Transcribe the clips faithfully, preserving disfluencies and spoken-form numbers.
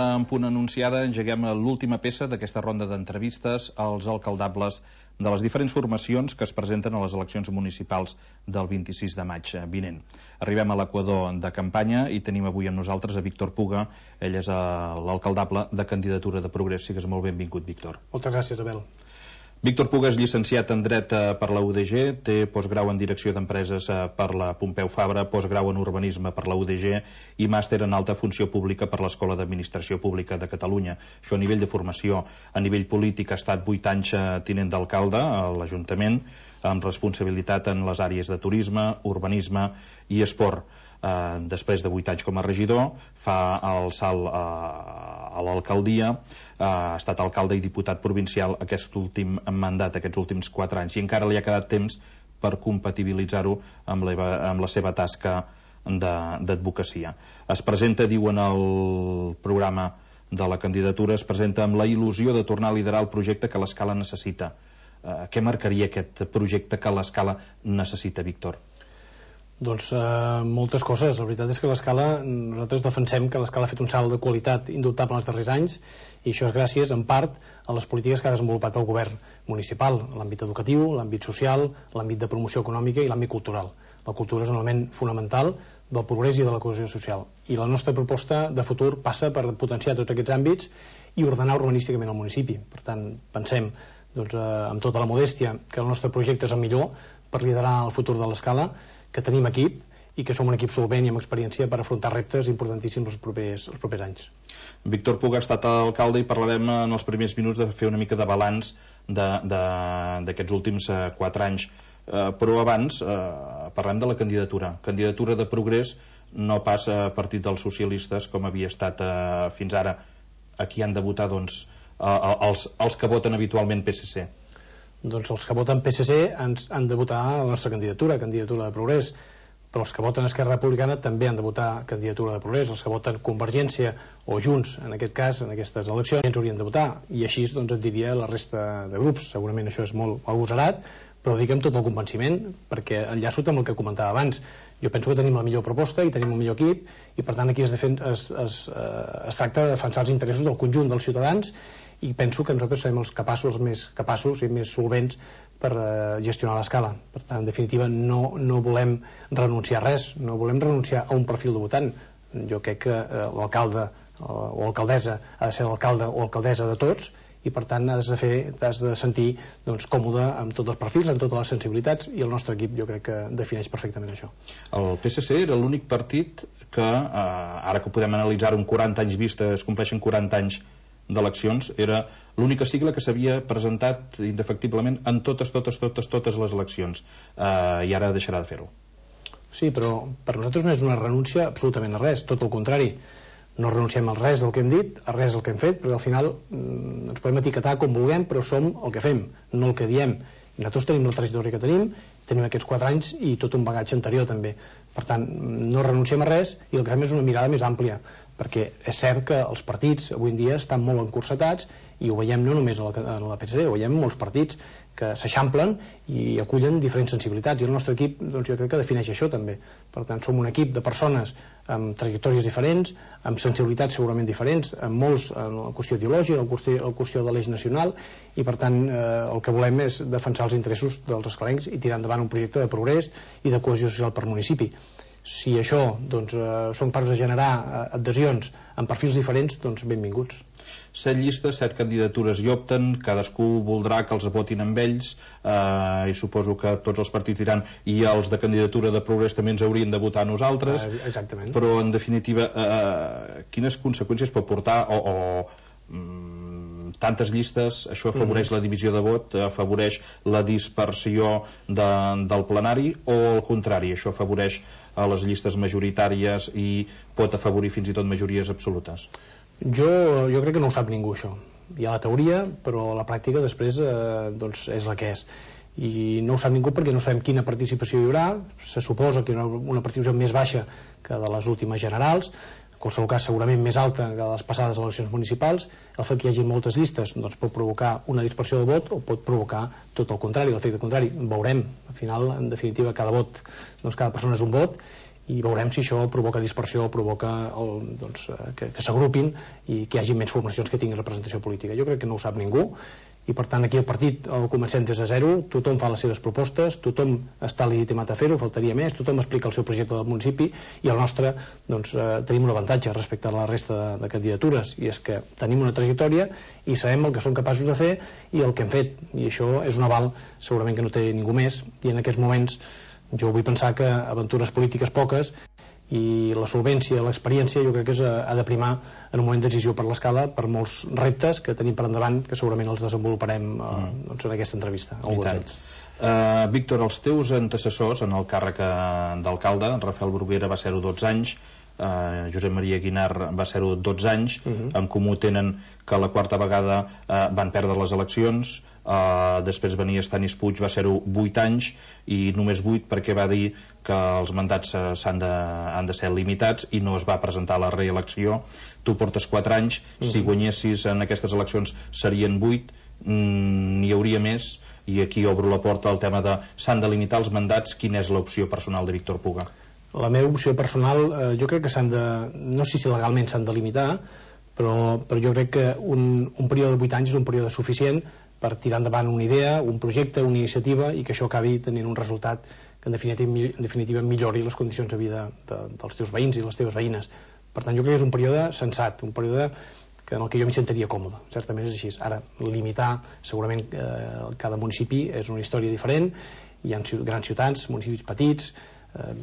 l'hora en punt anunciada engeguem l'última peça d'aquesta ronda d'entrevistes als alcaldables de les diferents formacions que es presenten a les eleccions municipals del vint-i-sis de maig vinent. Arribem a l'equador de campanya i tenim avui amb nosaltres a Víctor Puga. Ell és l'alcaldable de Candidatura de Progrés. Sigues molt benvingut, Víctor. Moltes gràcies, Abel. Víctor Puga és llicenciat en Dret per la U D G, té postgrau en Direcció d'Empreses per la Pompeu Fabra, postgrau en Urbanisme per la U D G i màster en Alta Funció Pública per l'Escola d'Administració Pública de Catalunya. Això a nivell de formació. A nivell polític ha estat vuit anys tinent d'alcalde a l'Ajuntament, amb responsabilitat en les àrees de turisme, urbanisme i esport. Uh, després de vuit anys com a regidor fa el salt uh, a l'alcaldia, uh, ha estat alcalde i diputat provincial aquest últim mandat, aquests últims quatre anys, i encara li ha quedat temps per compatibilitzar-ho amb, amb la seva tasca d'advocacia. Es presenta, diu en el programa de la candidatura, es presenta amb la il·lusió de tornar a liderar el projecte que l'Escala necessita. Uh, què marcaria aquest projecte que l'Escala necessita, Víctor? Doncs eh, moltes coses. La veritat és que l'Escala, nosaltres defensem que l'Escala ha fet un salt de qualitat indubtable en els darrers anys, i això és gràcies, en part, a les polítiques que ha desenvolupat el govern municipal, l'àmbit educatiu, l'àmbit social, l'àmbit de promoció econòmica i l'àmbit cultural. La cultura és un element fonamental del progrés i de la cohesió social. I la nostra proposta de futur passa per potenciar tots aquests àmbits i ordenar urbanísticament el municipi. Per tant, pensem, doncs, eh, amb tota la modèstia, que el nostre projecte és el millor per liderar el futur de l'Escala, que tenim equip i que som un equip solvent i amb experiència per afrontar reptes importantíssims els propers, els propers anys. Víctor Puga ha estat alcalde i parlarem en els primers minuts de fer una mica de balanç d'aquests últims eh, quatre anys. Eh, però abans eh, parlem de la candidatura. Candidatura de Progrés, no pas a partit dels socialistes com havia estat eh, fins ara. Aquí han de votar doncs, eh, els, els que voten habitualment P S C. Doncs els que voten P S C ens han de votar la nostra candidatura, candidatura de Progrés, però els que voten Esquerra Republicana també han de votar candidatura de Progrés. Els que voten Convergència o Junts, en aquest cas, en aquestes eleccions, ens haurien de votar, i així doncs, et diria la resta de grups. Segurament això és molt agosarat, però ho dic amb tot el convenciment, perquè enllaço amb el que comentava abans. Jo penso que tenim la millor proposta i tenim un millor equip, i per tant aquí es, defen es, es, es tracta de defensar els interessos del conjunt dels ciutadans, i penso que nosaltres serem els capaços, els més capaços i més solvents per uh, gestionar l'Escala. Per tant, en definitiva, no, no volem renunciar a res, no volem renunciar a un perfil de votant. Jo crec que uh, l'alcalde uh, o alcaldessa ha de ser l'alcalde o alcaldessa de tots, i per tant has de, fer, has de sentir doncs, còmode amb tots els perfils, amb totes les sensibilitats, i el nostre equip jo crec que defineix perfectament això. El P S C era l'únic partit que, uh, ara que podem analitzar un quaranta anys vista, es compleixen quaranta anys d'eleccions, era l'única sigla que s'havia presentat indefectiblement en totes, totes, totes, totes les eleccions, uh, i ara deixarà de fer-ho. Sí, però per nosaltres no és una renúncia absolutament a res, tot el contrari. No renunciem a res del que hem dit, a res del que hem fet, perquè al final mm, ens podem etiquetar com vulguem, però som el que fem, no el que diem. I nosaltres tenim la trajectòria que tenim, tenim aquests quatre anys i tot un bagatge anterior també. Per tant, no renunciem a res, i el que fem és una mirada més àmplia, perquè és cert que els partits avui en dia estan molt encursetats, i ho veiem no només a la, a la P S C, ho veiem molts partits que s'eixamplen i acullen diferents sensibilitats, i el nostre equip doncs, jo crec que defineix això també. Per tant, som un equip de persones amb trajectòries diferents, amb sensibilitats segurament diferents, amb molts en la qüestió ideològica, en la qüestió, la qüestió de l'eix nacional, i per tant eh, el que volem és defensar els interessos dels escalencs i tirar endavant un projecte de progrés i de cohesió social per municipi. Si això doncs, eh, són capaços de generar eh, adhesions amb perfils diferents, doncs benvinguts. Set llistes, set candidatures hi opten, cadascú voldrà que els votin amb ells, eh, i suposo que tots els partits diran i els de Candidatura de Progrés també ens haurien de votar a nosaltres. Eh, exactament. Però en definitiva, eh, quines conseqüències pot portar o, o mm, tantes llistes? Això afavoreix mm-hmm. la divisió de vot, afavoreix la dispersió de, del plenari, o al contrari, això afavoreix a les llistes majoritàries i pot afavorir fins i tot majories absolutes? Jo, jo crec que no ho sap ningú, això. Hi ha la teoria, però la pràctica després eh, doncs és la que és. I no ho sap ningú perquè no sabem quina participació hi haurà. Se suposa que hi haurà una participació més baixa que de les últimes generals, en qualsevol cas segurament més alta que les passades eleccions municipals. El fet que hi hagi moltes llistes doncs, pot provocar una dispersió de vot o pot provocar tot el contrari, l'efecte contrari. Veurem, al final, en definitiva, cada vot, doncs cada persona és un vot, i veurem si això provoca dispersió, provoca el, doncs, que, que s'agrupin i que hi hagi menys formacions que tinguin representació política. Jo crec que no ho sap ningú, i per tant aquí el partit el comencem des de zero, tothom fa les seves propostes, tothom està legitimat a fer-ho, faltaria més, tothom explica el seu projecte del municipi, i el nostre, doncs, eh, tenim un avantatge respecte a la resta de, de candidatures, i és que tenim una trajectòria i sabem el que som capaços de fer i el que hem fet, i això és un aval segurament que no té ningú més, i en aquests moments jo vull pensar que aventures polítiques poques, i la solvència, l'experiència, jo crec que és, ha de primar en un moment decisiu per l'escala, per molts reptes que tenim per endavant, que segurament els desenvoluparem eh, doncs en aquesta entrevista. Uh, Víctor, els teus antecessors en el càrrec d'alcalde, Rafael Bruguera va ser-ho dotze anys, Uh, Josep Maria Guinar va ser-ho dotze anys, uh -huh. En comú tenen que la quarta vegada uh, van perdre les eleccions, uh, després venia Stanis Puig, va ser-ho vuit anys, i només vuit perquè va dir que els mandats uh, s'han de, han de ser limitats i no es va presentar a la reelecció. Tu portes quatre anys, uh -huh. Si guanyessis en aquestes eleccions serien vuit, mm, n'hi hauria més, i aquí obro la porta al tema de s'han de limitar els mandats. Quina és l'opció personal de Víctor Puga? La meva opció personal, eh, jo crec que s'han de, no sé si legalment s'han de limitar, però, però jo crec que un, un període de vuit anys és un període suficient per tirar endavant una idea, un projecte, una iniciativa, i que això acabi tenint un resultat que en definitiva, en definitiva millori les condicions de vida de, dels teus veïns i les teves veïnes. Per tant, jo crec que és un període sensat, un període que en el que jo m'hi sentiria còmode, certament és així. Ara, limitar, segurament eh, cada municipi és una història diferent, hi ha grans ciutats, municipis petits. Eh,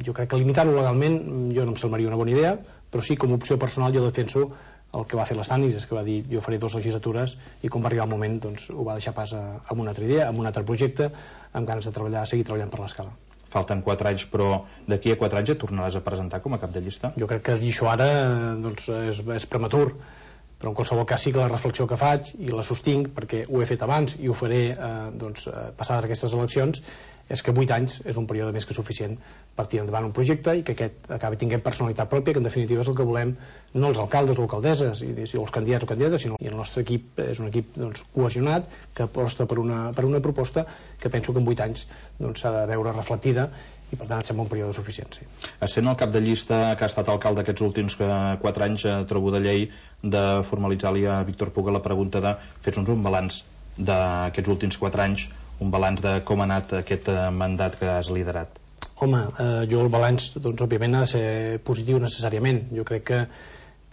jo crec que limitar-ho legalment jo no em semblaria una bona idea, però sí, com a opció personal, jo defenso el que va fer l'Stanis, és que va dir jo faré dues legislatures, i quan va arribar el moment doncs ho va deixar pas a, a una altra idea, a un altre projecte, amb ganes de treballar, seguir treballant per l'escala. Falten quatre anys, però d'aquí a quatre anys et tornaràs a presentar com a cap de llista? Jo crec que dir això ara doncs, és, és prematur, però en qualsevol cas sí que la reflexió que faig, i la sostinc perquè ho he fet abans i ho faré eh, doncs, passades aquestes eleccions, és que vuit anys és un període més que suficient per tirar endavant un projecte i que aquest acabi tinguent personalitat pròpia, que en definitiva és el que volem, no els alcaldes o alcaldesses i, i els candidats o candidates, sinó i el nostre equip és un equip doncs, cohesionat, que aposta per una, per una proposta que penso que en vuit anys doncs, s'ha de veure reflectida, i per tant em sembla un període suficient. Sí. Essent el cap de llista que ha estat alcalde aquests últims quatre anys, eh, trobo de llei de formalitzar-li a Víctor Puga la pregunta de fer-nos un balanç d'aquests últims quatre anys, un balanç de com ha anat aquest mandat que has liderat. Home, eh, jo el balanç doncs, òbviament ha de ser positiu necessàriament. Jo crec que,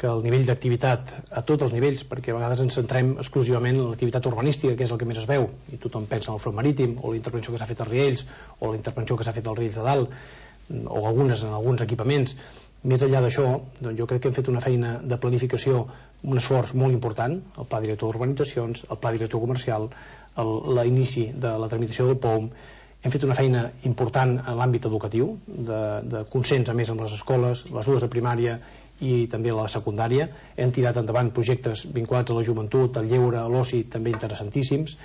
que el nivell d'activitat a tots els nivells, perquè a vegades ens centrem exclusivament en l'activitat urbanística, que és el que més es veu, i tothom pensa en el front marítim, o la intervenció que s'ha fet als Riells, o la intervenció que s'ha fet als Riells de Dalt, o algunes en alguns equipaments. Més enllà d'això, doncs jo crec que hem fet una feina de planificació, un esforç molt important, el pla director d'urbanitzacions, el pla director comercial, l'inici de la tramitació del P O M. Hem fet una feina important en l'àmbit educatiu, de, de consens a més amb les escoles, les dues de primària i també la secundària. Hem tirat endavant projectes vinculats a la joventut, al lleure, a l'oci, també interessantíssims.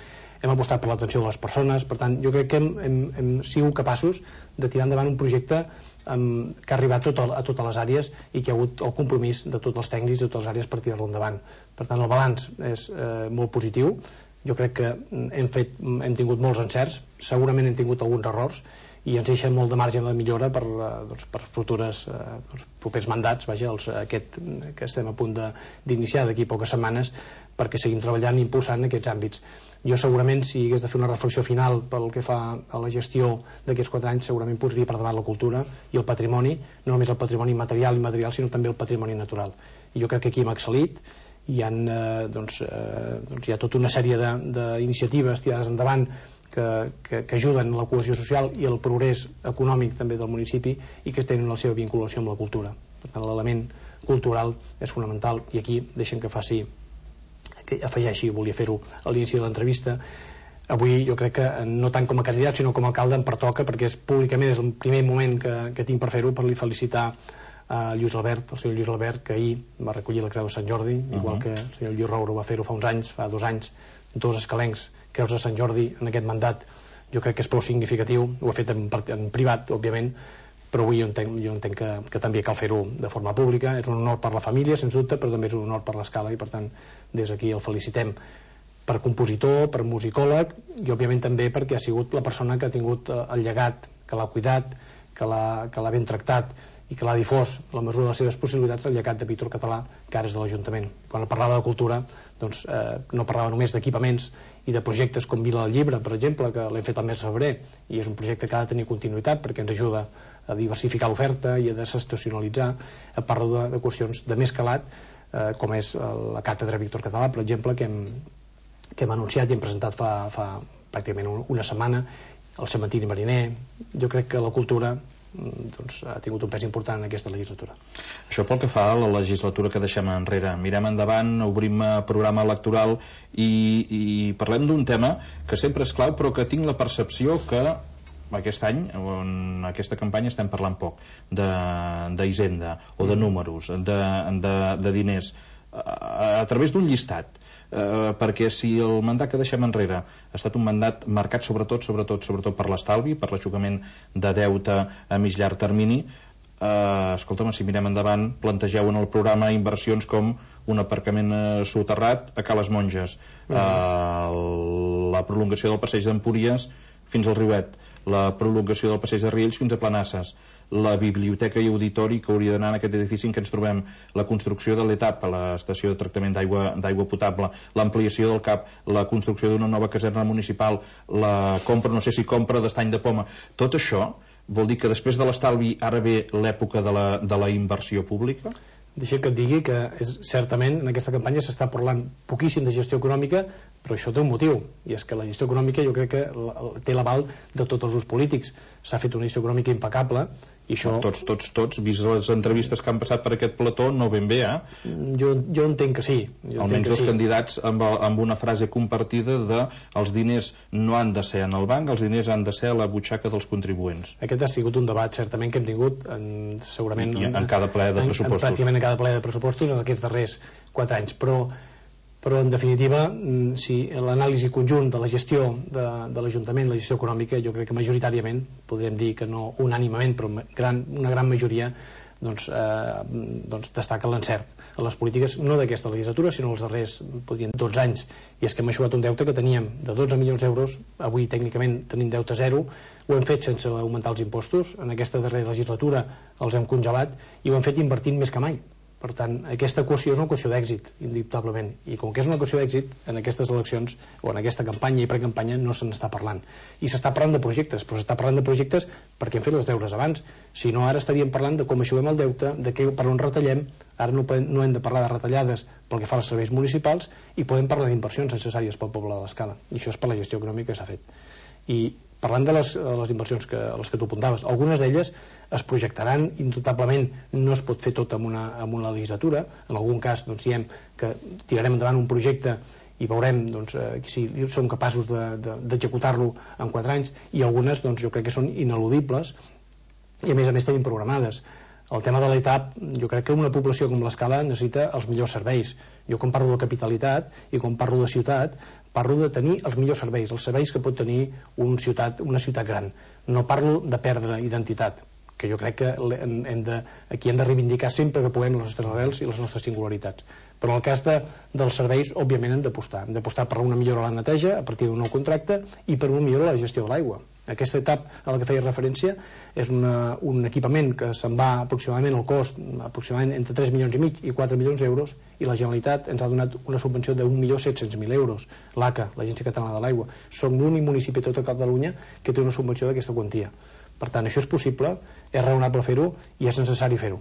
Hem apostat per l'atenció de les persones. Per tant, jo crec que hem, hem, hem sigut capaços de tirar endavant un projecte um, que ha arribat tot a, a totes les àrees i que ha hagut el compromís de tots els tècnics de totes les àrees per tirar-lo endavant. Per tant, el balanç és eh, molt positiu. Jo crec que hem, fet, hem tingut molts encerts, segurament hem tingut alguns errors, i ens deixa molt de marge de millora per, doncs, per futures eh, doncs, propers mandats, vaja, els, aquest que estem a punt d'iniciar d'aquí poques setmanes, perquè seguim treballant i impulsant aquests àmbits. Jo segurament, si hagués de fer una reflexió final pel que fa a la gestió d'aquests quatre anys, segurament posaria per davant la cultura i el patrimoni, no només el patrimoni material i immaterial, sinó també el patrimoni natural. I jo crec que aquí hem excel·lit, hi ha, eh, doncs, eh, doncs hi ha tota una sèrie d'iniciatives tirades endavant que, que, que ajuden la cohesió social i el progrés econòmic també del municipi i que tenen la seva vinculació amb la cultura. Per tant, l'element cultural és fonamental, i aquí deixen que faci, que afegeixi, volia fer-ho a l'inici de l'entrevista. Avui jo crec que no tant com a candidat sinó com a alcalde em pertoca, perquè és públicament és el primer moment que, que tinc per fer-ho, per li felicitar a Lluís Albert, el senyor Lluís Albert, que ahir va recollir la Creu de Sant Jordi, uh-huh. igual que el senyor Lluís Roure va fer-ho fa uns anys, fa dos anys, dos escalencs, Creus de Sant Jordi en aquest mandat. Jo crec que és prou significatiu, ho he fet en, en privat, òbviament, però avui jo entenc, jo entenc que, que també cal fer-ho de forma pública. És un honor per la família, sens dubte, però també és un honor per l'escala, i per tant, des d'aquí el felicitem per compositor, per musicòleg, i òbviament també perquè ha sigut la persona que ha tingut el llegat, que l'ha cuidat, que l'ha ben tractat i que l'ha difós a la mesura de les seves possibilitats, el llegat de Víctor Català, que ara és de l'Ajuntament. Quan parlava de cultura, doncs, eh, no parlava només d'equipaments i de projectes com Vila del Llibre, per exemple, que l'hem fet al mes de febrer, i és un projecte que ha de tenir continuïtat perquè ens ajuda a diversificar l'oferta i a desestacionalitzar. Parlo de, de qüestions de més calat, eh, com és la càtedra Víctor Català, per exemple, que hem, que hem anunciat i hem presentat fa, fa pràcticament una setmana, el cementiri mariner. Jo crec que la cultura doncs, ha tingut un pes important en aquesta legislatura. Això pel que fa a la legislatura que deixem enrere. Mirem endavant, obrim programa electoral i, i parlem d'un tema que sempre és clau, però que tinc la percepció que aquest any, en aquesta campanya, estem parlant poc d'Hisenda o de números, de, de, de diners, a, a través d'un llistat. Eh, perquè si el mandat que deixem enrere ha estat un mandat marcat sobretot sobretot, sobretot per l'estalvi, per l'aixugament de deute a mig llarg termini, eh, escolta'm, si mirem endavant, plantegeu en el programa inversions com un aparcament eh, soterrat a Cales Monges, eh, la prolongació del passeig d'Empúries fins al Riuet, la prolongació del passeig de Riells fins a Planasses, la biblioteca i auditori que hauria d'anar en aquest edifici en què ens trobem, la construcció de l'E T A P, a l'estació de tractament d'aigua potable, l'ampliació del CAP, la construcció d'una nova caserna municipal, la compra, no sé si compra d'estany de poma. Tot això vol dir que després de l'estalvi ara ve l'època de la, de la inversió pública? Deixa que et digui que és, certament en aquesta campanya s'està parlant poquíssim de gestió econòmica, però això té un motiu, i és que la gestió econòmica jo crec que té l'aval de tots els grups polítics. S'ha fet una gestió econòmica impecable i això... Tots, tots, tots, vist les entrevistes que han passat per aquest plató, no ben bé, eh? Jo, jo entenc que sí. Jo Almenys els sí. candidats amb, amb una frase compartida de els diners no han de ser en el banc, els diners han de ser a la butxaca dels contribuents. Aquest ha sigut un debat, certament, que hem tingut en, segurament... I, en, en cada ple de pressupostos. En, en, pràcticament en cada ple de pressupostos en aquests darrers quatre anys, però però en definitiva, si l'anàlisi conjunt de la gestió de, de l'Ajuntament, la gestió econòmica, jo crec que majoritàriament, podríem dir que no unànimament, però gran, una gran majoria doncs, eh, doncs destaca l'encert a les polítiques, no d'aquesta legislatura, sinó els darrers, podríem dir, dotze anys. I és que hem eixugat un deute que teníem de dotze milions d'euros, avui tècnicament tenim deute zero, ho hem fet sense augmentar els impostos, en aquesta darrera legislatura els hem congelat i ho hem fet invertint més que mai. Per tant, aquesta equació és una equació d'èxit, indubtablement, i com que és una equació d'èxit, en aquestes eleccions o en aquesta campanya i precampanya no se n'està parlant. I s'està parlant de projectes, però s'està parlant de projectes perquè hem fet els deures abans. Si no, ara estaríem parlant de com eixuguem el deute, de què, per on retallem. Ara no, no hem de parlar de retallades pel que fa als serveis municipals i podem parlar d'inversions necessàries pel poble de l'Escala. I això és per la gestió econòmica que s'ha fet. I parlant de les, de les inversions que, a les que tu apuntaves, algunes d'elles es projectaran indubtablement, no es pot fer tot en una, en una legislatura. En algun cas doncs, diem que tirarem endavant un projecte i veurem doncs, eh, si som capaços d'executar-lo de, de, en quatre anys, i algunes doncs, jo crec que són ineludibles i a més a més tenim programades. El tema de l'E T A P, jo crec que una població com l'Escala necessita els millors serveis. Jo quan parlo de capitalitat i quan parlo de ciutat, parlo de tenir els millors serveis, els serveis que pot tenir un ciutat, una ciutat gran. No parlo de perdre identitat, que jo crec que hem de, aquí hem de reivindicar sempre que puguem les nostres arrels i les nostres singularitats. Però en el cas de, dels serveis, òbviament hem d'apostar. Hem d'apostar per una millora a la neteja a partir d'un nou contracte i per una millora a la gestió de l'aigua. Aquesta etapa a la que feia referència és una, un equipament que se'n va aproximadament el cost aproximadament entre tres milions i mig i quatre milions d'euros, i la Generalitat ens ha donat una subvenció d'un milió set-cents mil euros. L'A C A, l'Agència Catalana de l'Aigua. Som l'únic municipi a tota Catalunya que té una subvenció d'aquesta quantia. Per tant, això és possible, és raonable fer-ho i és necessari fer-ho.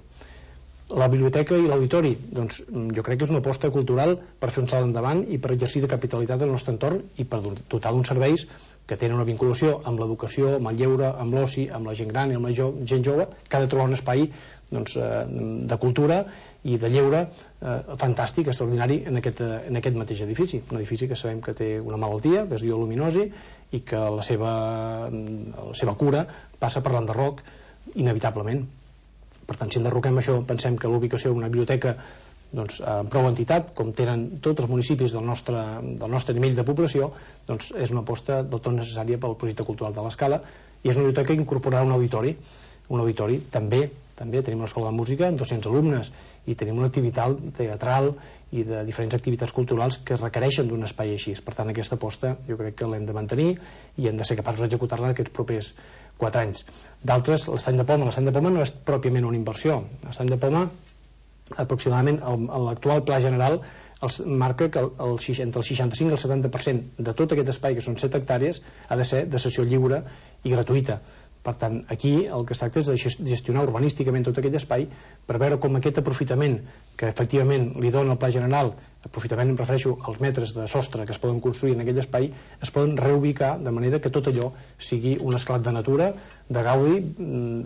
La biblioteca i l'auditori, doncs jo crec que és una aposta cultural per fer un salt endavant i per exercir de capitalitat del nostre entorn i per dotar d'uns serveis que tenen una vinculació amb l'educació, amb el lleure, amb l'oci, amb la gent gran i amb la jo, gent jove, que ha de trobar un espai doncs, eh, de cultura i de lleure eh, fantàstic, extraordinari en aquest, en aquest mateix edifici. Un edifici que sabem que té una malaltia, que es diu aluminosi, i que la seva, la seva cura passa per l'enderroc inevitablement. Per tant, si enderroquem això, pensem que l'ubicació d'una biblioteca doncs, amb prou entitat, com tenen tots els municipis del nostre, del nostre nivell de població, doncs és una aposta del tot necessària pel projecte cultural de l'Escala, i és una biblioteca que incorporarà un auditori, un auditori també també tenim una escola de música amb dos-cents alumnes i tenim una activitat teatral i de diferents activitats culturals que requereixen d'un espai així. Per tant, aquesta aposta jo crec que l'hem de mantenir i hem de ser capaços d'executar-la en aquests propers quatre anys. D'altres, l'estany de Poma. L'estany de Poma no és pròpiament una inversió. L'estany de Poma, aproximadament, l'actual pla general els marca que el, el, entre el seixanta-cinc i el setanta per cent de tot aquest espai, que són set hectàrees, ha de ser de cessió lliure i gratuïta. Per tant, aquí el que es tracta és de gestionar urbanísticament tot aquell espai per veure com aquest aprofitament que efectivament li dona el pla general, aprofitament em refereixo als metres de sostre que es poden construir en aquell espai, es poden reubicar de manera que tot allò sigui un esclat de natura, de gaudi,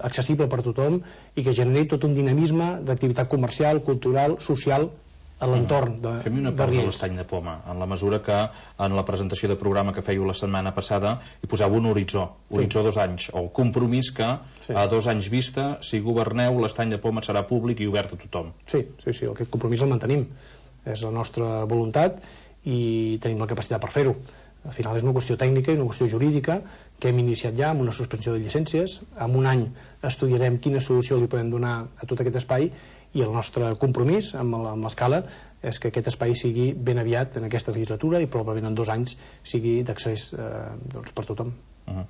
accessible per tothom i que generi tot un dinamisme d'activitat comercial, cultural, social a l'entorn de Riells. Fem-hi una pausa a l'estany de Poma, en la mesura que en la presentació de programa que fèieu la setmana passada hi posava un horitzó, horitzó dos anys, o compromís que sí. a dos anys vista, si governeu, l'estany de Poma serà públic i obert a tothom. Sí, sí, sí, aquest compromís el mantenim. És la nostra voluntat i tenim la capacitat per fer-ho. Al final és una qüestió tècnica i una qüestió jurídica que hem iniciat ja amb una suspensió de llicències. En un any estudiarem quina solució li podem donar a tot aquest espai i el nostre compromís amb l'escala és que aquest espai sigui ben aviat en aquesta legislatura i probablement en dos anys sigui d'accés eh, doncs per tothom. Uh-huh.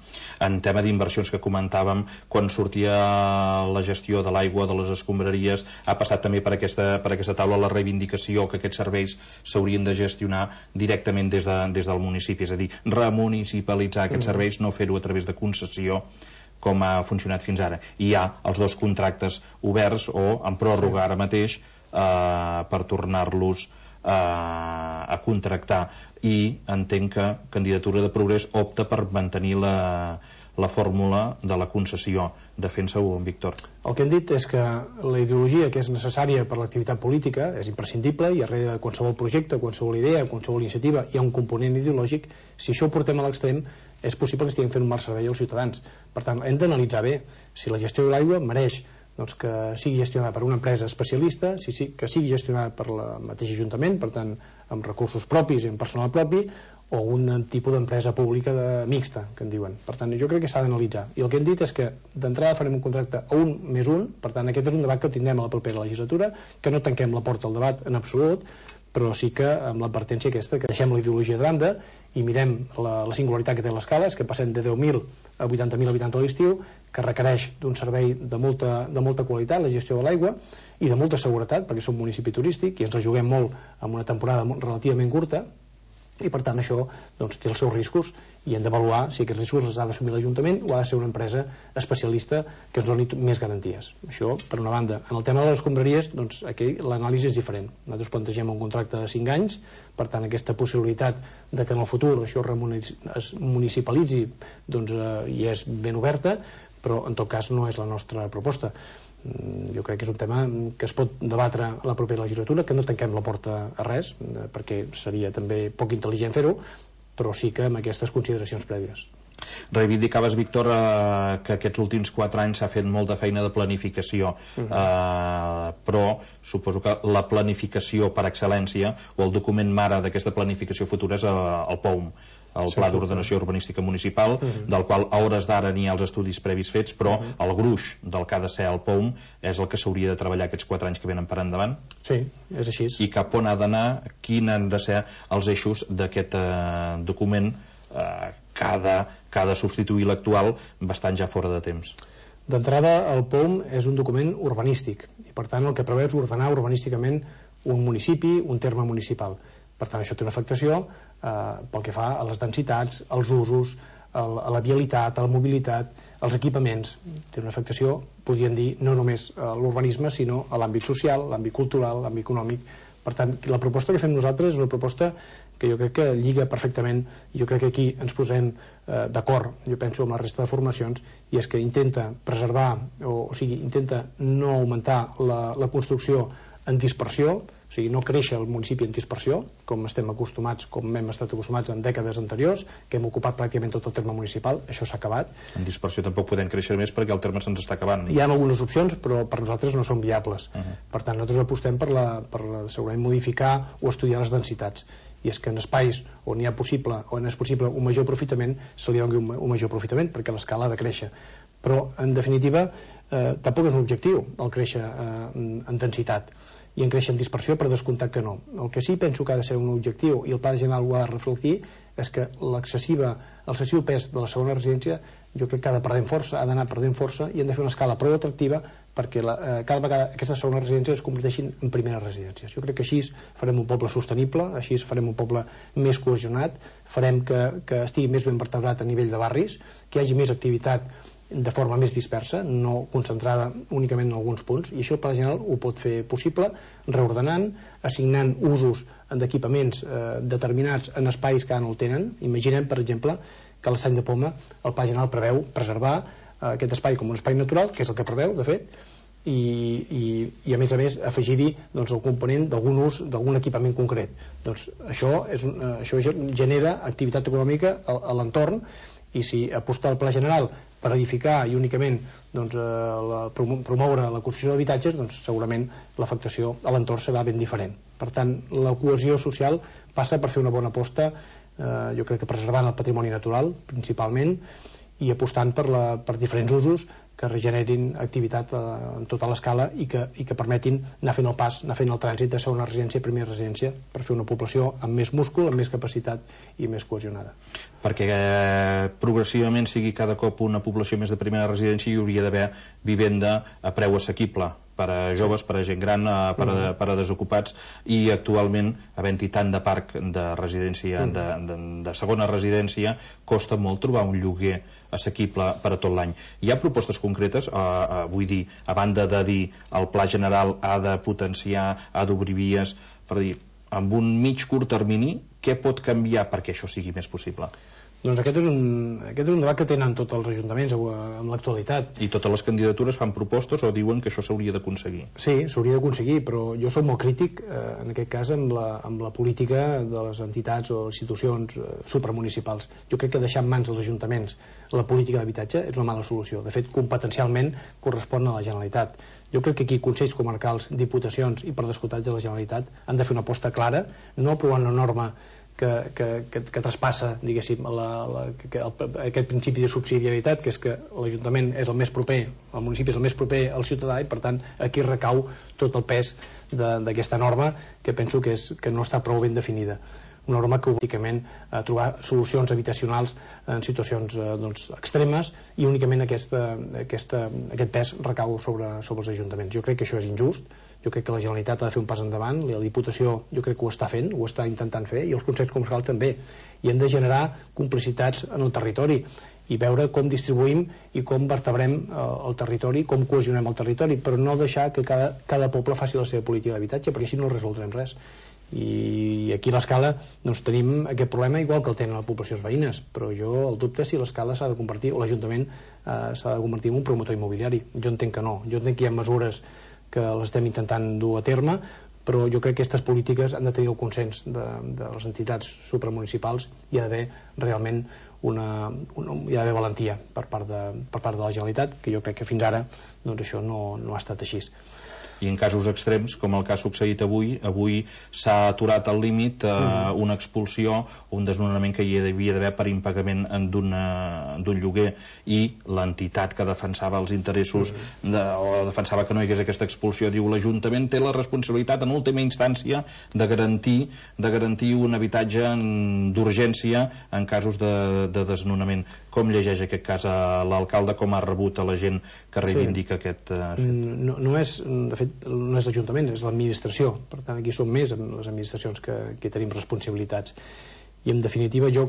En tema d'inversions que comentàvem, quan sortia la gestió de l'aigua, de les escombraries, ha passat també per aquesta, per aquesta taula la reivindicació que aquests serveis s'haurien de gestionar directament des, de, des del municipi, és a dir, remunicipalitzar aquests uh-huh. serveis, no fer-ho a través de concessió com ha funcionat fins ara. I hi ha els dos contractes oberts o en pròrroga ara mateix eh, per tornar-los eh, a contractar, i entenc que Candidatura de Progrés opta per mantenir la, la fórmula de la concessió. Defensa-ho, Víctor. El que hem dit és que la ideologia que és necessària per l'activitat política és imprescindible i darrere de qualsevol projecte, qualsevol idea, qualsevol iniciativa hi ha un component ideològic. Si això ho portem a l'extrem és possible que estiguem fent un mal servei als ciutadans. Per tant, hem d'analitzar bé si la gestió de l'aigua mereix doncs, que sigui gestionada per una empresa especialista, si, si, que sigui gestionada per la mateixa Ajuntament, per tant, amb recursos propis i amb personal propi, o un tipus d'empresa pública de, mixta, que en diuen. Per tant, jo crec que s'ha d'analitzar. I el que hem dit és que d'entrada farem un contracte a un més un, per tant, aquest és un debat que tindrem a la propera legislatura, que no tanquem la porta al debat en absolut, però sí que amb l'advertència aquesta, que deixem la ideologia de banda i mirem la, la singularitat que té l'escala, és que passem de deu mil a vuitanta mil habitants a l'estiu, que requereix d'un servei de molta, de molta qualitat, la gestió de l'aigua, i de molta seguretat, perquè som un municipi turístic i ens la juguem molt en una temporada relativament curta, i per tant això doncs, té els seus riscos i hem d'avaluar si aquests riscos els ha d'assumir l'Ajuntament o ha de ser una empresa especialista que ens doni més garanties. Això, per una banda. En el tema de les escombraries, doncs, aquí l'anàlisi és diferent. Nosaltres plantegem un contracte de cinc anys, per tant aquesta possibilitat de que en el futur això es municipalitzi doncs, eh, hi és ben oberta, però en tot cas no és la nostra proposta. Jo crec que és un tema que es pot debatre a la propera legislatura, que no tanquem la porta a res, perquè seria també poc intel·ligent fer-ho, però sí que amb aquestes consideracions prèvies. Reivindicaves, Víctor, eh, que aquests últims quatre anys s'ha fet molta feina de planificació, uh-huh. eh, però suposo que la planificació per excel·lència o el document mare d'aquesta planificació futura és eh, el P O U M, el Pla d'Ordenació Urbanística Municipal, uh-huh. del qual a hores d'ara n'hi ha els estudis previs fets, però uh-huh. el gruix del que ha de ser el P O U M és el que s'hauria de treballar aquests quatre anys que venen per endavant. Sí, és així. I cap on ha d'anar, quins han de ser els eixos d'aquest eh, document eh, que, ha de, que ha de substituir l'actual bastant ja fora de temps. D'entrada, el P O U M és un document urbanístic i per tant el que preveu és ordenar urbanísticament un municipi, un terme municipal. Per tant, això té una afectació eh, pel que fa a les densitats, als usos, el, a la vialitat, a la mobilitat, als equipaments. Té una afectació, podríem dir, no només a l'urbanisme, sinó a l'àmbit social, l'àmbit cultural, l'àmbit econòmic. Per tant, la proposta que fem nosaltres és una proposta que jo crec que lliga perfectament, jo crec que aquí ens posem eh, d'acord, jo penso, amb la resta de formacions, i és que intenta preservar, o, o sigui, intenta no augmentar la, la construcció en dispersió, o sigui, no créixer el municipi en dispersió, com estem acostumats, com hem estat acostumats en dècades anteriors, que hem ocupat pràcticament tot el terme municipal, això s'ha acabat. En dispersió tampoc podem créixer més perquè el terme se'ns està acabant. Hi ha algunes opcions, però per nosaltres no són viables. Uh-huh. Per tant, nosaltres apostem per, la, per la, segurament modificar o estudiar les densitats. I és que en espais on hi ha possible, on és possible un major aprofitament, se li doni un, un major aprofitament, perquè l'escala ha de créixer. Però, en definitiva, eh, tampoc és un objectiu el créixer eh, en densitat i en créixer en dispersió, per descomptat que no. El que sí penso que ha de ser un objectiu, i el Pla General ho ha de reflectir, és que l'excessiu pes de la segona residència jo crec que ha de perdent força, ha d'anar perdent força i hem de fer una escala prou atractiva perquè la, eh, cada vegada aquestes segones residències es converteixin en primeres residències. Jo crec que així farem un poble sostenible, així farem un poble més cohesionat, farem que, que estigui més ben vertebrat a nivell de barris, que hi hagi més activitat de forma més dispersa, no concentrada únicament en alguns punts, i això el Pla General ho pot fer possible, reordenant, assignant usos d'equipaments eh, determinats en espais que ara no el tenen. Imaginem, per exemple, que a l'Estany de Poma el Pla General preveu preservar eh, aquest espai com un espai natural, que és el que preveu, de fet, i, i, i a més a més afegir-hi doncs, el component d'algun ús d'algun equipament concret. Doncs això, és, eh, això genera activitat econòmica a, a l'entorn, i si apostar el Pla General per edificar i únicament doncs, eh, la, promoure la construcció d'habitatges, doncs segurament l'afectació a l'entorn serà ben diferent. Per tant, la cohesió social passa per fer una bona aposta, eh, jo crec que preservant el patrimoni natural principalment, i apostant per, la, per diferents usos que regenerin activitat eh, en tota l'escala i, que, i que permetin anar fent el pas, anar fent el trànsit de segona residència a primera residència per fer una població amb més múscul, amb més capacitat i més cohesionada. Perquè eh, progressivament sigui cada cop una població més de primera residència, hi hauria d'haver vivenda a preu assequible per a joves, per a gent gran, per a, per a desocupats, i actualment, havent-hi tant de parc de residència, de, de, de segona residència, costa molt trobar un lloguer assequible per a tot l'any. Hi ha propostes concretes, eh, eh, vull dir, a banda de dir el Pla General ha de potenciar, ha d'obrir vies, per dir, amb un mig curt termini, què pot canviar perquè això sigui més possible? Doncs aquest és, un, aquest és un debat que tenen tots els ajuntaments en l'actualitat. I totes les candidatures fan propostes o diuen que això s'hauria d'aconseguir? Sí, s'hauria d'aconseguir, però jo soc molt crític eh, en aquest cas amb la, amb la política de les entitats o institucions eh, supramunicipals. Jo crec que deixar en mans dels ajuntaments la política d'habitatge és una mala solució. De fet, competencialment correspon a la Generalitat. Jo crec que aquí consells comarcals, diputacions i per descomptat de la Generalitat han de fer una aposta clara, no aprovant una norma Que, que, que, que traspassa, diguéssim, la, la, que el, aquest principi de subsidiarietat, que és que l'Ajuntament és el més proper, el municipi és el més proper al ciutadà, i per tant aquí recau tot el pes d'aquesta norma, que penso que, és, que no està prou ben definida. Una norma que únicament a trobar solucions habitacionals en situacions eh, doncs, extremes, i únicament aquesta, aquesta, aquest pes recau sobre, sobre els ajuntaments. Jo crec que això és injust, jo crec que la Generalitat ha de fer un pas endavant, la Diputació jo crec que ho està fent, ho està intentant fer, i els consells comarcals també, i hem de generar complicitats en el territori i veure com distribuïm i com vertebrem eh, el territori, com cohesionem el territori, però no deixar que cada, cada poble faci la seva política d'habitatge, perquè així no resoldrem res. I aquí a l'escala doncs, tenim aquest problema igual que el tenen les poblacions veïnes, però jo el dubte si l'escala s'ha de convertir, o l'Ajuntament eh, s'ha de convertir en un promotor immobiliari. Jo entenc que no, jo entenc que hi ha mesures que les estem intentant dur a terme, però jo crec que aquestes polítiques han de tenir el consens de, de les entitats supramunicipals, i hi ha d'haver realment una, una, hi ha d'haver valentia per part, de, per part de la Generalitat, que jo crec que fins ara doncs, això no, no ha estat així. I en casos extrems, com el que ha succeït avui, avui s'ha aturat al límit eh, uh-huh. una expulsió o un desnonament que hi havia d'haver per impagament d'un lloguer, i l'entitat que defensava els interessos uh-huh. de, o defensava que no hi hagués aquesta expulsió diu l'Ajuntament té la responsabilitat en última instància de garantir, de garantir un habitatge d'urgència en casos de, de desnonament. Com llegeix aquest cas a l'alcalde, com ha rebut a la gent que reivindica sí. aquest uh, fet? No, no és, de fet, no és l'Ajuntament, és l'administració. Per tant, aquí som més amb les administracions que, que tenim responsabilitats. I en definitiva, jo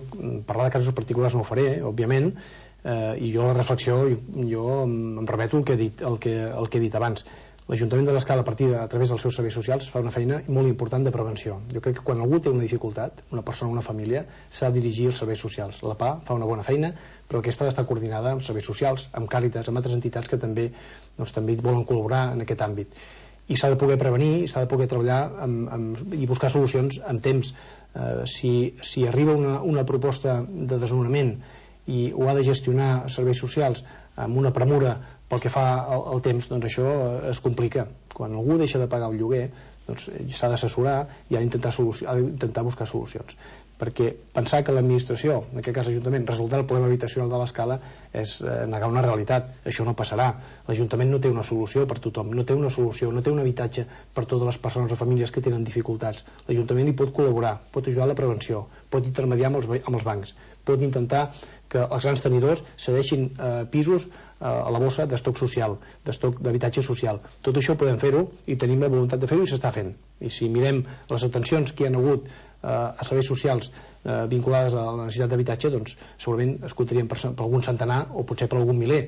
parlar de casos particulars no ho faré, eh, òbviament, eh, i jo la reflexió, jo, jo em remeto al que he dit, el que, el que he dit abans. L'Ajuntament de l'Escala, a partir de, a través dels seus serveis socials, fa una feina molt important de prevenció. Jo crec que quan algú té una dificultat, una persona, una família, s'ha de dirigir als serveis socials. La P A fa una bona feina, però aquesta ha d'estar coordinada amb serveis socials, amb Càritas, amb altres entitats que també, doncs, també volen col·laborar en aquest àmbit. I s'ha de poder prevenir, s'ha de poder treballar amb, amb, i buscar solucions en temps. Eh, si, si arriba una, una proposta de desnonament i ho ha de gestionar serveis socials amb una premura Pel que fa al, al temps, doncs això es complica. Quan algú deixa de pagar el lloguer, doncs s'ha d'assessorar i ha d'intentar ha d'intentar buscar solucions, perquè pensar que l'administració, en aquest cas l'Ajuntament, resoldrà el problema habitacional de l'Escala és eh, negar una realitat. Això no passarà. L'Ajuntament no té una solució per tothom, no té una solució, no té un habitatge per totes les persones o famílies que tenen dificultats. L'Ajuntament hi pot col·laborar, pot ajudar a la prevenció, pot intermediar amb els, amb els bancs, pot intentar que els grans tenidors cedeixin eh, pisos eh, a la bossa d'estoc social, d'estoc d'habitatge social. Tot això podem fer-ho i tenim la voluntat de fer-ho i s'està fent. I si mirem les atencions que hi ha hagut eh, a serveis socials eh, vinculades a la necessitat d'habitatge, doncs segurament es comptarien per, per algun centenar o potser per algun miler.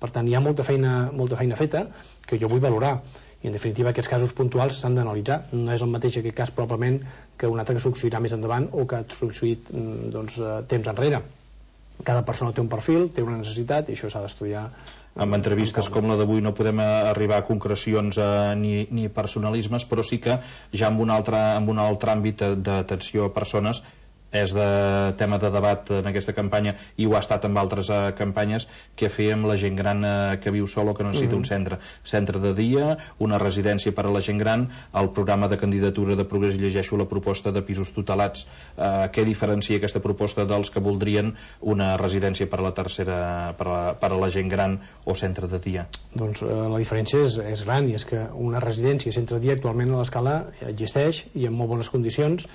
Per tant, hi ha molta feina, molta feina feta que jo vull valorar. I en definitiva aquests casos puntuals s'han d'analitzar. No és el mateix aquest cas probablement que un altre que succeirà més endavant o que ha succeït doncs, temps enrere. Cada persona té un perfil, té una necessitat i això s'ha d'estudiar. Amb entrevistes com la d'avui no podem arribar a concrecions eh, ni, ni personalismes, però sí que ja en un altre, en un altre àmbit d'atenció a persones és de tema de debat en aquesta campanya i ho ha estat amb altres eh, campanyes que fèiem la gent gran eh, que viu sol o que necessita mm-hmm. un centre centre de dia, una residència per a la gent gran, el programa de candidatura de Progrés, i llegeixo la proposta de pisos tutelats. Eh, què diferencia aquesta proposta dels que voldrien una residència per a la tercera per a, per a la gent gran o centre de dia? Doncs eh, la diferència és, és gran, i és que una residència centre de dia actualment a l'Escala existeix i en molt bones condicions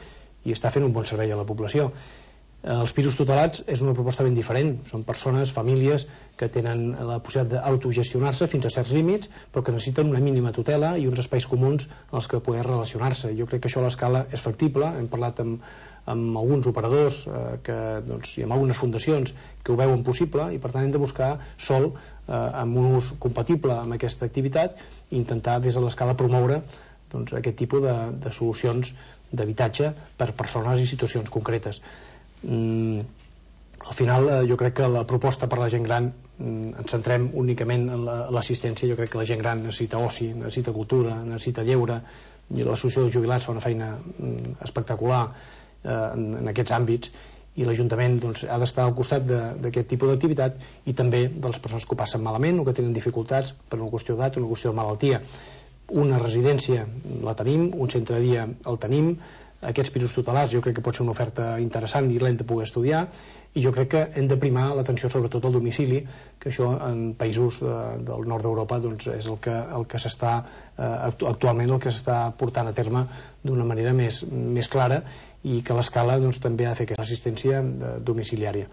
i està fent un bon servei a la població. Els pisos tutelats és una proposta ben diferent. Són persones, famílies que tenen la possibilitat d'autogestionar-se fins a certs límits, però que necessiten una mínima tutela i uns espais comuns en els que poder relacionar-se. Jo crec que això a l'Escala és factible. Hem parlat amb, amb alguns operadors eh, que, doncs, i amb algunes fundacions que ho veuen possible, i per tant hem de buscar sol eh, amb un ús compatible amb aquesta activitat i intentar des de l'Escala promoure doncs, aquest tipus de, de solucions d'habitatge per persones i situacions concretes. Mm, al final eh, jo crec que la proposta per la gent gran mm, ens centrem únicament en l'assistència. Jo crec que la gent gran necessita oci, necessita cultura, necessita lleure, i l'associació dels jubilats fa una feina mm, espectacular eh, en, en aquests àmbits, i l'Ajuntament doncs, ha d'estar al costat d'aquest tipus d'activitat i també de les persones que ho passen malament o que tenen dificultats per una qüestió d'edat o una qüestió de malaltia. Una residència la tenim, un centre de dia el tenim, aquests pisos tutelats jo crec que pot ser una oferta interessant i l'hem de poder estudiar, i jo crec que hem de primar l'atenció sobretot al domicili, que això en països de, del nord d'Europa doncs, és el que, el que s'està eh, actualment el que s'està portant a terme d'una manera més, més clara, i que l'Escala doncs, també ha de fer aquesta assistència eh, domiciliària.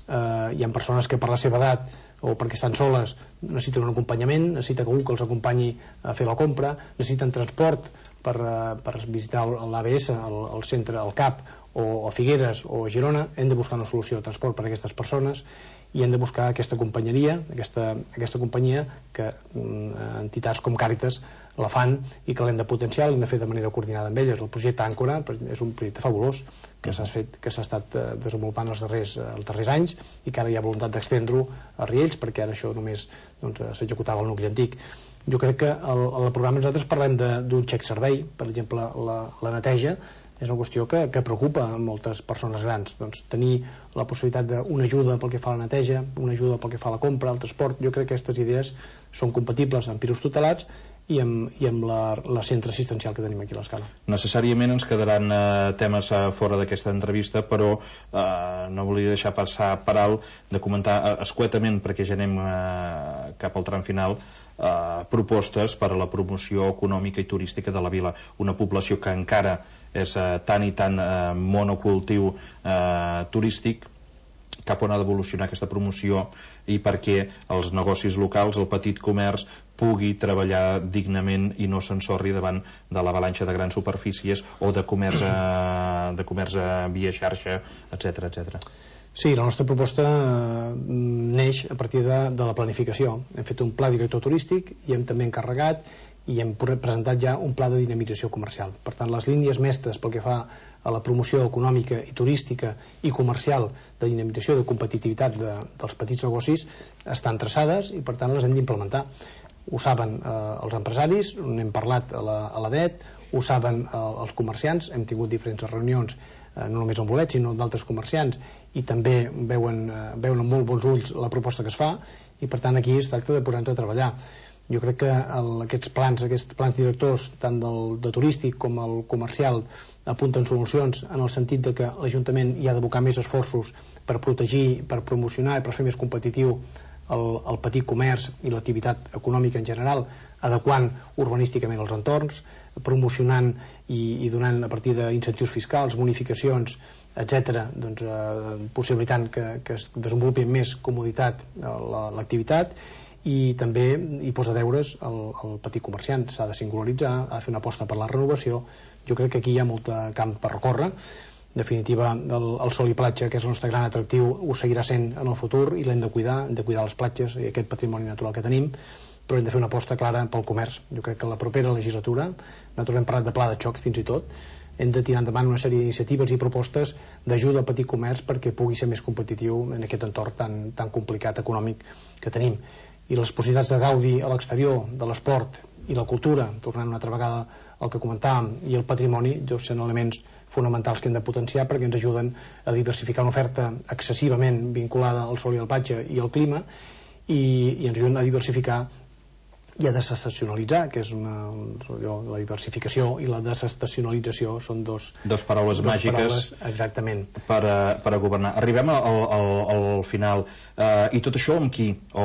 Eh, hi ha persones que per la seva edat o perquè estan soles necessiten un acompanyament, necessiten algú que els acompanyi a fer la compra, necessiten transport per, per visitar l'A B S, el, el centre, el C A P, o a Figueres o a Girona. Hem de buscar una solució de transport per a aquestes persones i hem de buscar aquesta companyeria, aquesta, aquesta companyia que mm, entitats com Càritas la fan i que l'hem de potenciar, l'hem de fer de manera coordinada amb elles. El projecte Àncora és un projecte fabulós que s'ha fet, que s'ha estat desenvolupant els darrers, els darrers anys i que ara hi ha voluntat d'extendre-ho a Riells, perquè ara això només doncs, s'executava al nucli antic. Jo crec que al, al programa nosaltres parlem d'un xec servei, per exemple la, la neteja és una qüestió que, que preocupa a moltes persones grans. Doncs tenir la possibilitat d'una ajuda pel que fa a la neteja, una ajuda pel que fa a la compra, al transport, jo crec que aquestes idees són compatibles amb pisos tutelats i amb, i amb la, la centre assistencial que tenim aquí a l'Escala. Necessàriament ens quedaran eh, temes eh, fora d'aquesta entrevista, però eh, no volia deixar passar per alt de comentar eh, escuetament, perquè ja anem eh, cap al tram final, eh, propostes per a la promoció econòmica i turística de la vila, una població que encara és eh, tan i tan eh, monocultiu eh, turístic. Cap on ha d'evolucionar aquesta promoció i perquè els negocis locals, el petit comerç, pugui treballar dignament i no s'ensorri davant de l'avalanxa de grans superfícies o de comerç a, de comerç a via xarxa, etcètera, etcètera. Sí, la nostra proposta neix a partir de, de la planificació. Hem fet un pla director turístic i hem també encarregat i hem presentat ja un pla de dinamització comercial. Per tant, les línies mestres pel que fa a la promoció econòmica i turística i comercial de dinamització de competitivitat de, dels petits negocis estan traçades i per tant les hem d'implementar. Ho saben eh, els empresaris, n'hem parlat a la, a la D E T, ho saben eh, els comerciants, hem tingut diferents reunions no només el bolet sinó d'altres comerciants, i també veuen, veuen amb molt bons ulls la proposta que es fa, i per tant aquí es tracta de posar-nos a treballar. Jo crec que el, aquests plans, aquests plans directors, tant del de turístic com el comercial, apunten solucions en el sentit de que l'Ajuntament hi ha d'abocar més esforços per protegir, per promocionar i per fer més competitiu el, el petit comerç i l'activitat econòmica en general, adequant urbanísticament els entorns, promocionant i, i donant a partir d'incentius fiscals, bonificacions, etcètera, doncs, eh, possibilitant que, que es desenvolupi amb més comoditat l'activitat, i també hi posa deures el, el petit comerciant. S'ha de singularitzar, ha de fer una aposta per la renovació. Jo crec que aquí hi ha molt camp per recórrer. En definitiva, el, el sol i platja, que és el nostre gran atractiu, ho seguirà sent en el futur i l'hem de cuidar, hem de cuidar les platges i aquest patrimoni natural que tenim, però hem de fer una aposta clara pel comerç. Jo crec que la propera legislatura, nosaltres hem parlat de pla de xoc fins i tot, hem de tirar endavant una sèrie d'iniciatives i propostes d'ajuda al petit comerç perquè pugui ser més competitiu en aquest entorn tan, tan complicat econòmic que tenim. I les possibilitats de gaudi a l'exterior, de l'esport i la cultura, tornant una altra vegada al que comentàvem, i el patrimoni, doncs són elements fonamentals que hem de potenciar perquè ens ajuden a diversificar una oferta excessivament vinculada al sol i al platja i al clima, i, i ens ajuden a diversificar i a desestacionalitzar, que és una, allò, la diversificació i la desestacionalització són dos, dos paraules dos màgiques paraules, exactament, per a, per a governar. Arribem al, al, al final, uh, i tot això amb qui? O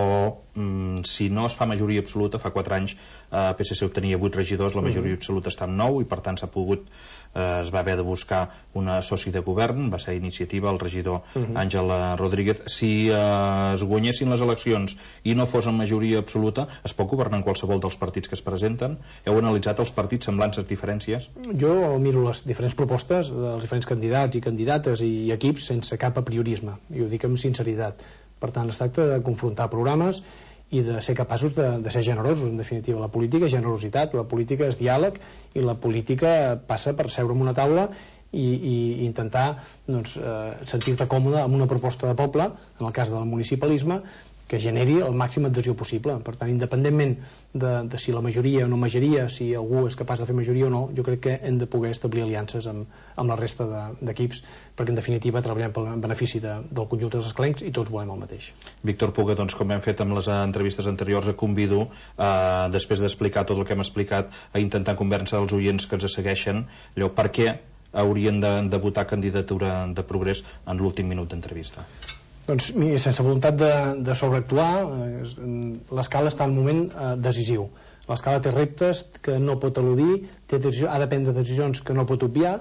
mm, si no es fa majoria absoluta, fa quatre anys uh, P S C obtenia vuit regidors, la majoria uh-huh. absoluta està en nou, i per tant s'ha pogut Uh, es va haver de buscar una soci de govern, va ser iniciativa el regidor uh-huh. Àngel Rodríguez. Si uh, es guanyessin les eleccions i no fos en majoria absoluta, es pot governar en qualsevol dels partits que es presenten? Heu analitzat els partits, semblances, diferències? Jo miro les diferents propostes dels diferents candidats i candidates i equips sense cap apriorisme, i ho dic amb sinceritat. Per tant, es tracta de confrontar programes i de ser capaços de, de ser generosos. En definitiva, la política és generositat, la política és diàleg, i la política passa per seure en una taula i, i intentar doncs, eh, sentir-te còmode amb una proposta de poble, en el cas del municipalisme, que generi el màxim adhesió possible. Per tant, independentment de, de si la majoria o no majoria, si algú és capaç de fer majoria o no, jo crec que hem de poder establir aliances amb, amb la resta d'equips, de, perquè en definitiva treballem pel benefici de, del conjunt dels escalencs i tots volem el mateix. Víctor Puga, doncs, com hem fet amb les entrevistes anteriors, et convido, eh, després d'explicar tot el que hem explicat, a intentar convèncer els oients que ens segueixen, allò, per què haurien de, de votar candidatura de Progrés en l'últim minut d'entrevista. Doncs, sense voluntat de, de sobreactuar, l'escala està en un moment eh, decisiu. L'escala té reptes que no pot eludir, té decisió, ha de prendre decisions que no pot obviar,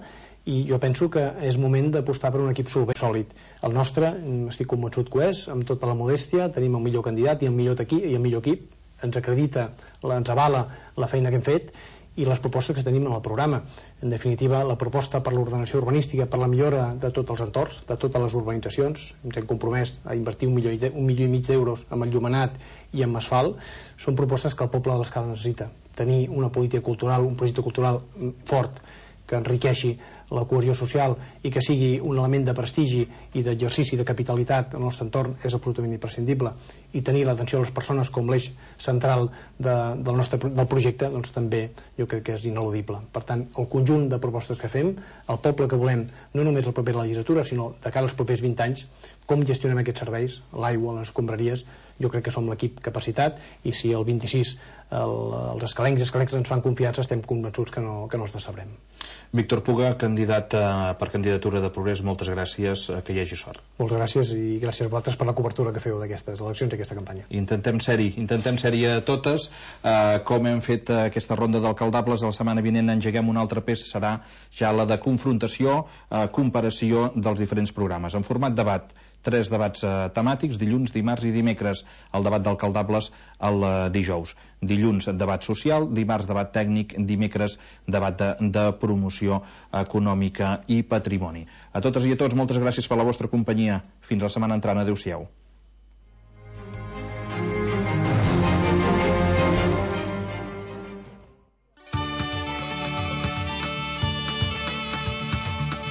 i jo penso que és moment d'apostar per un equip sòlid. El nostre, estic convençut que ho és, amb tota la modèstia, tenim el millor candidat i el millor equip, i el millor equip, ens acredita, ens avala la feina que hem fet i les propostes que tenim en el programa. En definitiva, la proposta per l'ordenació urbanística, per la millora de tots els entorns, de totes les urbanitzacions, ens hem compromès a invertir un milió, un milió i mig d'euros en enllumenat i en asfalt, són propostes que el poble de l'Escala necessita. Tenir una política cultural, un projecte cultural fort, que enriqueixi la cohesió social i que sigui un element de prestigi i d'exercici de capitalitat en el nostre entorn és absolutament imprescindible, i tenir l'atenció a les persones com l'eix central de, del nostre del projecte, doncs també jo crec que és ineludible. Per tant, el conjunt de propostes que fem, el poble que volem, no només la propera legislatura, sinó de cara als propers vint anys, com gestionem aquests serveis, l'aigua, les escombraries, jo crec que som l'equip capacitat, i si el vint-i-sis el, els escalencs i escalencs ens fan confiança, estem convençuts que no, que no els decebrem. Víctor Puga, candidat eh, per candidatura de Progrés, moltes gràcies, eh, que hi hagi sort. Moltes gràcies, i gràcies a vosaltres per la cobertura que feu d'aquestes eleccions i aquesta campanya. Intentem ser-hi, intentem ser-hi a totes, eh, com hem fet eh, aquesta ronda d'alcaldables. La setmana vinent engeguem una altra peça, serà ja la de confrontació, eh, comparació dels diferents programes, en format debat. Tres debats eh, temàtics, dilluns, dimarts i dimecres. El debat d'alcaldables el eh, dijous. Dilluns, debat social, dimarts, debat tècnic, dimecres, debat de, de promoció econòmica i patrimoni. A totes i a tots, moltes gràcies per la vostra companyia. Fins la setmana entrant. Adéu-siau.